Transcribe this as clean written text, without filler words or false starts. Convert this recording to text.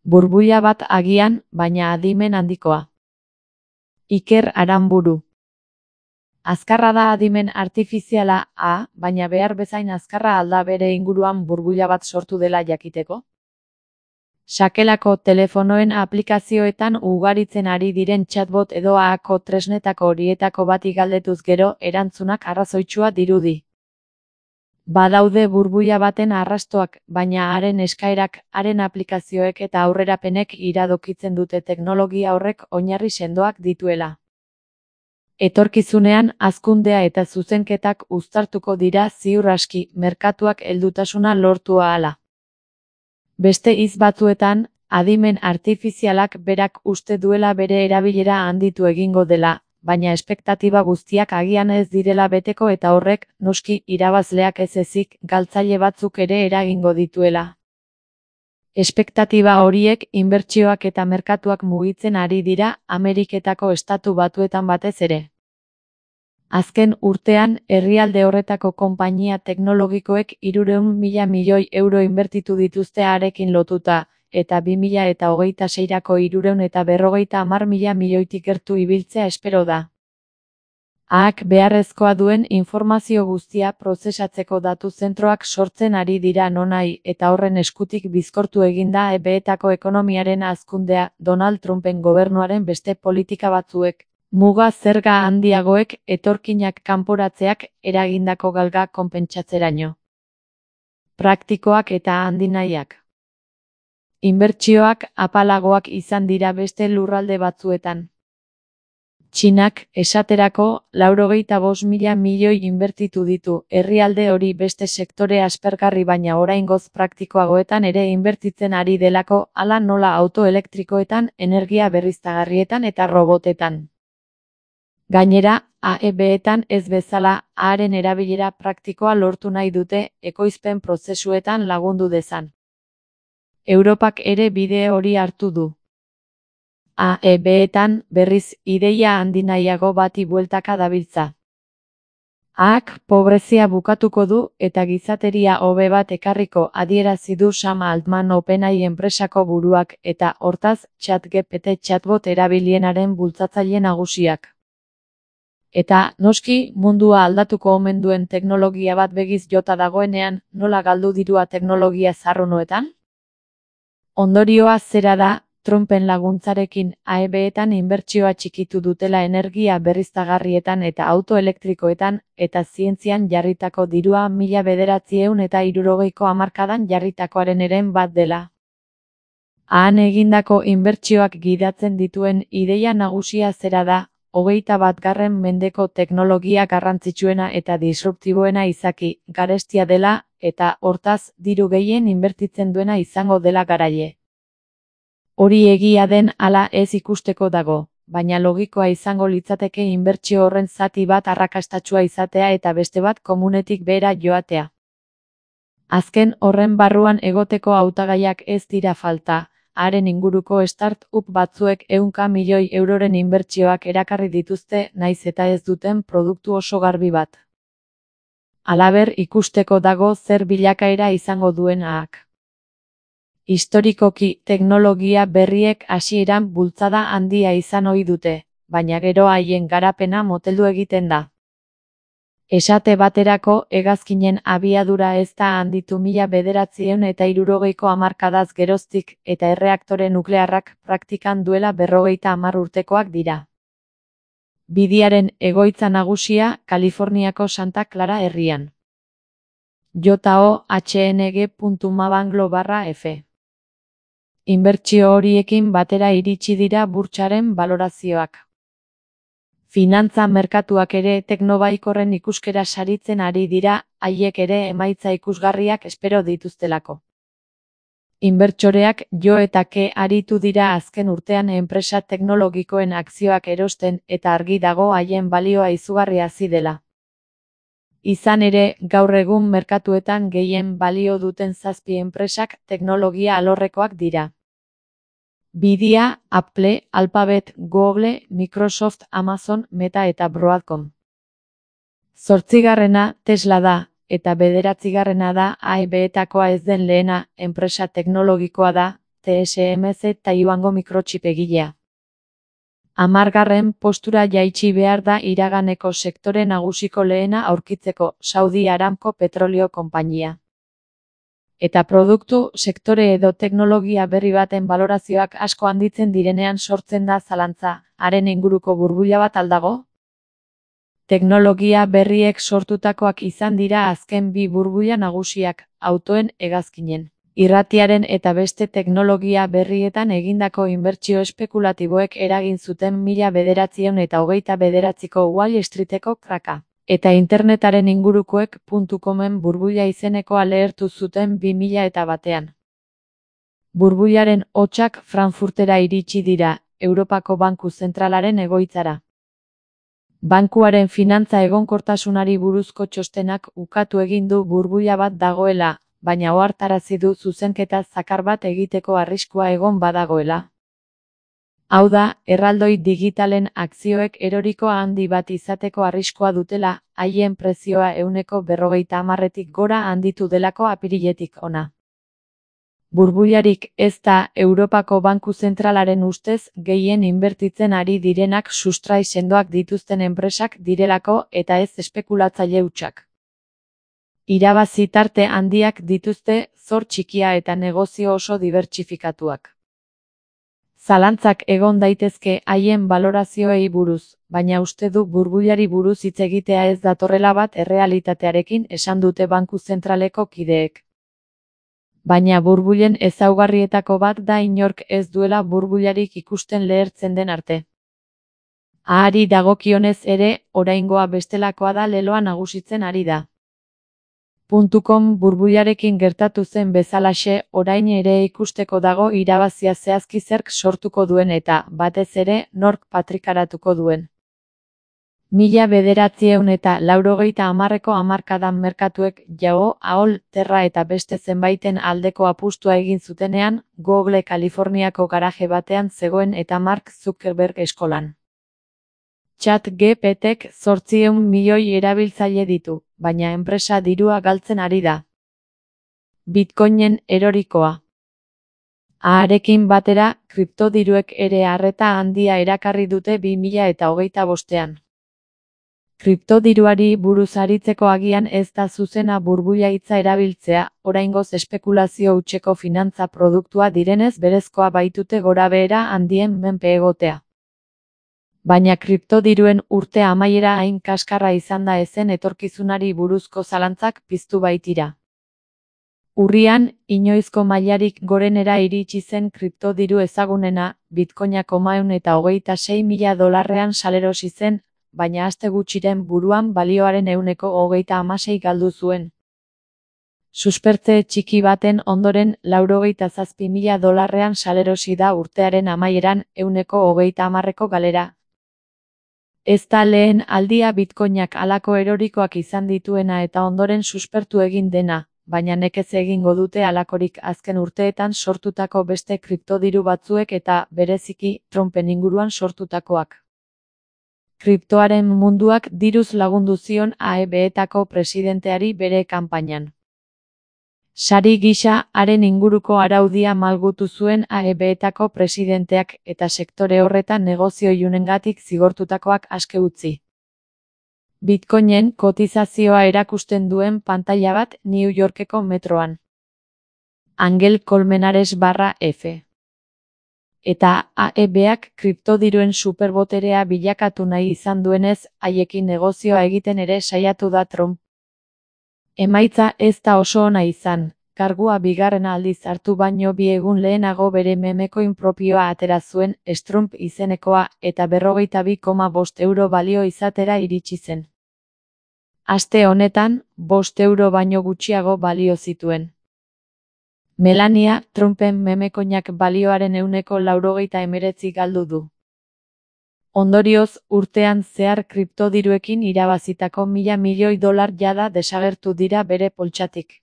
Burbuila bat agian, baina adimen handikoa. Iker Aranburu. Azkarra da adimen artifiziala, baina behar bezain azkarra alda bere inguruan burbuila bat sortu dela jakiteko? Sakelako telefonoen aplikazioetan ugaritzen ari diren chatbot edo AAko tresnetako horietako bati galdetuz gero erantzunak arrazoitsua dirudi. Badaude burbuila baten arrastoak, baina haren eskaerak, haren aplikazioek eta aurrerapenek iradokitzen dute teknologia horrek oinarri sendoak dituela. Etorkizunean hazkundea eta zuzenketak uztartuko dira ziur aski, merkatuak heldutasuna lortu ahala. Beste hitz batzuetan, adimen artifizialak berak uste duela bere erabilera handitu egingo dela, baina espektatiba guztiak agian ez direla beteko eta horrek, noski, irabazleak ez ezik, galtzaile batzuk ere eragingo dituela. Espektatiba horiek inbertsioak eta merkatuak mugitzen ari dira Ameriketako Estatu Batuetan batez ere. Azken urtean, herrialde horretako konpainia teknologikoek 300.000 milioi euro inbertitu dituzte harekin lotuta, eta 2026rako 350.000 milioitik gertu ibiltzea espero da. AAk beharrezkoa duen informazio guztia prozesatzeko datu zentroak sortzen ari dira nonahi, eta horren eskutik bizkortu eginda EBetako ekonomiaren hazkundea, Donald Trumpen gobernuaren beste politika batzuek, muga zerga handiagoek, etorkinak kanporatzeak eragindako galga konpentsatzeraino. Praktikoak eta handinahiak. Inbertsioak apalagoak izan dira beste lurralde batzuetan. Txinak, esaterako, 95.000 milioi inbertitu ditu, herrialde hori beste sektore aspergarri baina oraingoz praktikoagoetan ere inbertitzen ari delako, hala nola auto elektrikoetan, energia berriztagarrietan eta robotetan. Gainera, AEBetan ez bezala, haren erabilera praktikoa lortu nahi dute, ekoizpen prozesuetan lagundu dezan. Europak ere bide hori hartu du. AEBetan, berriz, ideia handinahiago bati bueltaka dabiltza. AAk pobrezia bukatuko du eta gizateria hobe bat ekarriko adierazi du Sam Altman OpenAI enpresako buruak eta, hortaz, ChatGPT chatbot erabilienaren bultzatzaile nagusiak. Eta, noski, mundua aldatuko omen duen teknologia bat begiz jota dagoenean, nola galdu dirua teknologia zarrunoetan? Ondorioa zera da, Trumpen laguntzarekin AEBetan inbertsioa txikitu dutela energia berriztagarrietan eta auto elektrikoetan, eta zientzian jarritako dirua 1960ko hamarkadan jarritakoaren eren bat dela. Han egindako inbertsioak gidatzen dituen ideia nagusia zera da, 21. mendeko teknologia garrantzitsuena eta disruptiboena izaki, garestia dela, eta, hortaz, diru gehien inbertitzen duena izango dela garaile. Hori egia den ala ez ikusteko dago, baina logikoa izango litzateke inbertsio horren zati bat arrakastatsua izatea eta beste bat komunetik behera joatea. Azken horren barruan egoteko hautagaiak ez dira falta, haren inguruko start-up batzuek 100 milioi euroren inbertsioak erakarri dituzte naiz eta ez duten produktu oso garbi bat. Halaber ikusteko dago zer bilakaera izango duen AAk. Historikoki teknologia berriek hasieran bultzada handia izan ohi dute, baina gero haien garapena moteldu egiten da. Esate baterako, hegazkinen abiadura ez da handitu 1960ko hamarkadaz geroztik, eta erreaktore nuklearrak praktikan duela 50 urtekoak dira. Bidiaren egoitza nagusia, Kaliforniako Santa Clara herrian. johng.mabanglo/f. Inbertsio horiekin batera iritsi dira burtsaren balorazioak. Finantza merkatuak ere teknobaikorren ikuskera saritzen ari dira, haiek ere emaitza ikusgarriak espero dituztelako. Inbertsoreak jo eta ke aritu dira azken urtean enpresa teknologikoen akzioak erosten eta argi dago haien balioa izugarri hazi dela. Izan ere, gaur egun merkatuetan gehien balio duten 7 enpresak teknologia alorrekoak dira. Bidia, Apple, Alphabet, Google, Microsoft, Amazon, Meta eta Broadcom. 8. Tesla da, eta 9. da AEBetakoa ez den lehena, enpresa teknologikoa da, TSMC Taiwango mikrochip egilea. 10. postura jaitsi behar da iraganeko sektore nagusiko lehena aurkitzeko, Saudi Aramco petrolio konpainia. Eta produktu, sektore edo teknologia berri baten balorazioak asko handitzen direnean sortzen da zalantza, haren inguruko burbuila bat al dago? Teknologia berriek sortutakoak izan dira azken bi burbuila nagusiak, autoen hegazkinen, irratiaren eta beste teknologia berrietan egindako inbertsio espekulatiboek eragin zuten 1929ko Wall Streeteko kraka. Eta internetaren ingurukoek .comen burbuila izenekoa lehertu zuten 2001. Burbuilaren hotsak Frankfurtera iritsi dira, Europako Banku Zentralaren egoitzara. Bankuaren finantza egonkortasunari buruzko txostenak ukatu egin du burbuila bat dagoela, baina ohartarazi du zuzenketa zakar bat egiteko arriskua egon badagoela. Hau da, erraldoi digitalen akzioek eroriko handi bat izateko arriskua dutela, haien prezioa 50%tik gora handitu delako apiriletik hona. Burbuilarik ez da Europako Banku Zentralaren ustez gehien inbertitzen ari direnak sustrai sendoak dituzten enpresak direlako eta ez espekulatzaile hutsak. Irabazi tarte handiak dituzte, zor txikia eta negozio oso dibertsifikatuak. Zalantzak egon daitezke haien balorazioei buruz, baina uste du burbuilari buruz hitz egitea ez datorrela bat errealitatearekin esan dute Banku Zentraleko kideek. Baina burbuilen ezaugarrietako bat da inork ez duela burbuilarik ikusten lehertzen den arte. Ahari dagokionez ere, oraingoa bestelakoa da leloa nagusitzen ari da. .com burbuilarekin gertatu zen bezalaxe, orain ere ikusteko dago irabazia zehazki zerk sortuko duen eta, batez ere, nork patrikaratuko duen. 1980ko hamarkadan merkatuek Yahoo, AOL, Terra eta beste zenbaiten aldeko apustua egin zutenean, Google Kaliforniako garaje batean zegoen eta Mark Zuckerberg eskolan. ChatGPTk 800 milioi erabiltzaile ditu, baina enpresa dirua galtzen ari da. Bitcoinen erorikoa. Harekin batera, kriptodiruek ere arreta handia erakarri dute 2025. Kriptodiruari buruz aritzeko agian ez da zuzena burbuila hitza erabiltzea, oraingoz espekulazio hutseko finantza produktua direnez berezkoa baitute gorabehera handien menpe egotea. Baina kriptodiruen urte amaiera hain kaskarra izan da ezen etorkizunari buruzko zalantzak piztu baitira. Urrian, inoizko mailarik gorenera iritsi zen kriptodiru ezagunena, Bitcoinak $126.000 salerosi zen, baina aste gutxiren buruan balioaren 136 galdu zuen. Suspertze txiki baten ondoren $97.000 salerosi da urtearen amaieran 130ko galera. Ez da lehen aldia Bitcoinak halako erorikoak izan dituena eta ondoren suspertu egin dena, baina nekez egingo dute halakorik azken urteetan sortutako beste kriptodiru batzuek eta, bereziki, Trumpen inguruan sortutakoak. Kriptoaren munduak diruz lagundu zion AEB-etako presidenteari bere kanpainan. Sari gisa, haren inguruko araudia malgutu zuen AEB-etako presidenteak eta sektore horretan negozio ilunengatik zigortutakoak aske utzi. Bitcoinen kotizazioa erakusten duen pantaila bat New Yorkeko metroan. Angel Colmenares/F. Eta AEB-ak kriptodiruen superboterea bilakatu nahi izan duenez, haiekin negozioa egiten ere saiatu da Trump. Emaitza ez da oso ona izan, kargua bigarren aldiz hartu baino 2 egun lehenago bere memecoin propioa atera zuen, Strump izenekoa, eta €22,5 balio izatera iritsi zen. Aste honetan, €5 baino gutxiago balio zituen. Melania, Trumpen memecoinak balioaren 199 galdu du. Ondorioz, urtean zehar kriptodiruekin irabazitako $1.000 milioi jada desagertu dira bere poltsatik.